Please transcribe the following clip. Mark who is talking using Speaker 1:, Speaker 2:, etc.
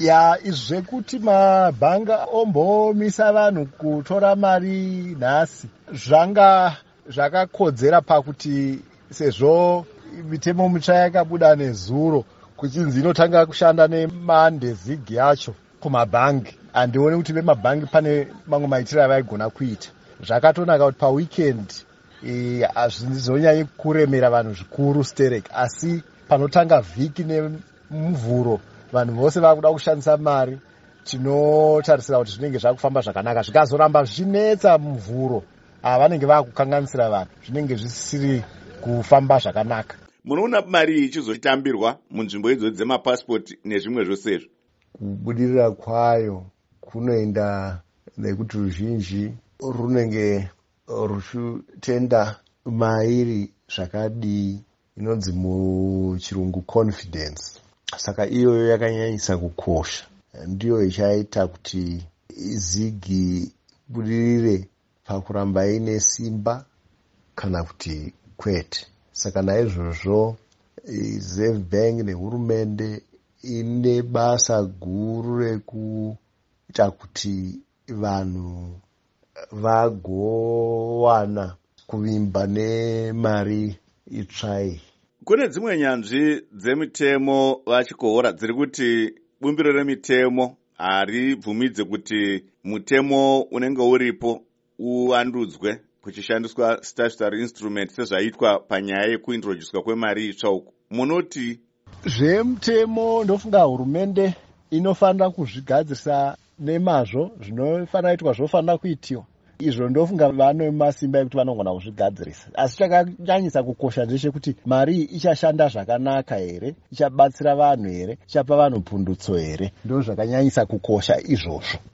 Speaker 1: Ya, izvi zvekuti mabhanga ombomisa vanhu kutora mari nhasi zvanga zvakakodzera, pakuti sezvo mitemo mitsva yakabuda nezuro, kuchinzi inotanga kushanda neMonday, ZiG yacho kumabhangi, handioni kuti vemabhangi pane mamwe maitiro avaigona kuita. Zvakatonaka kuti paweekend hazvizonyanyi kuremera vanhu zvikuru sterek, asi panotanga vhiki neMuvhuro, vanhu vose vakuda kushandisa mari, tinotarisira kuti zvinenge zvakufamba zvakanaka. Zvikazoramba zvichinetsa Muvhuro, vanenge vakukanganisira vanhu, zvinenge zvisiri kufamba zvakanaka.
Speaker 2: Munoona mari iyi ichizotambirwa munzvimbo idzodzi dzemapasipoti nezvimwe zvose izvo?
Speaker 3: Kubudirira kwayo kunoenda nekuti ruzhinji runenge ruchitenda mairi zvakadii, inonzi muchirungu confidence. Saka iyoyo yakanyanyisa kukosha, ndiyo ichaita kuti ZiG ibudirire pakuramba ine simba kana kuti kwete. Saka naizvozvo Reserve Bank nehurumende ine basa guru rekuita kuti vanhu vagowana kuvimba nemari itsva iyi.
Speaker 2: Kune dzimwe nyanzvi dzemitemo, VaChikohora, dziri kuti bumbiro remitemo haribvumidze kuti mutemo unenge uripo uvandudzwe kuchishandiswa statutory instrument, sezvaitwa panyaya yekuintroducwa kwemari itsva uku. Munoti?
Speaker 1: Zvemutemo, ndofunga hurumende inofanira kuzvigadzirisa nemazvo. Zvinofanira kuitwa zvofanira kuitiwa izvo. Ndofunga vane masimba ekuti vanogona kuzvigadzirisa, asi chakanyanyisa kukosha ndechekuti mari iyi ichashanda zvakanaka here, ichabatsira vanhu here, ichapa vanhu pundutso here. Ndo zvakanyanyisa kukosha izvozvo.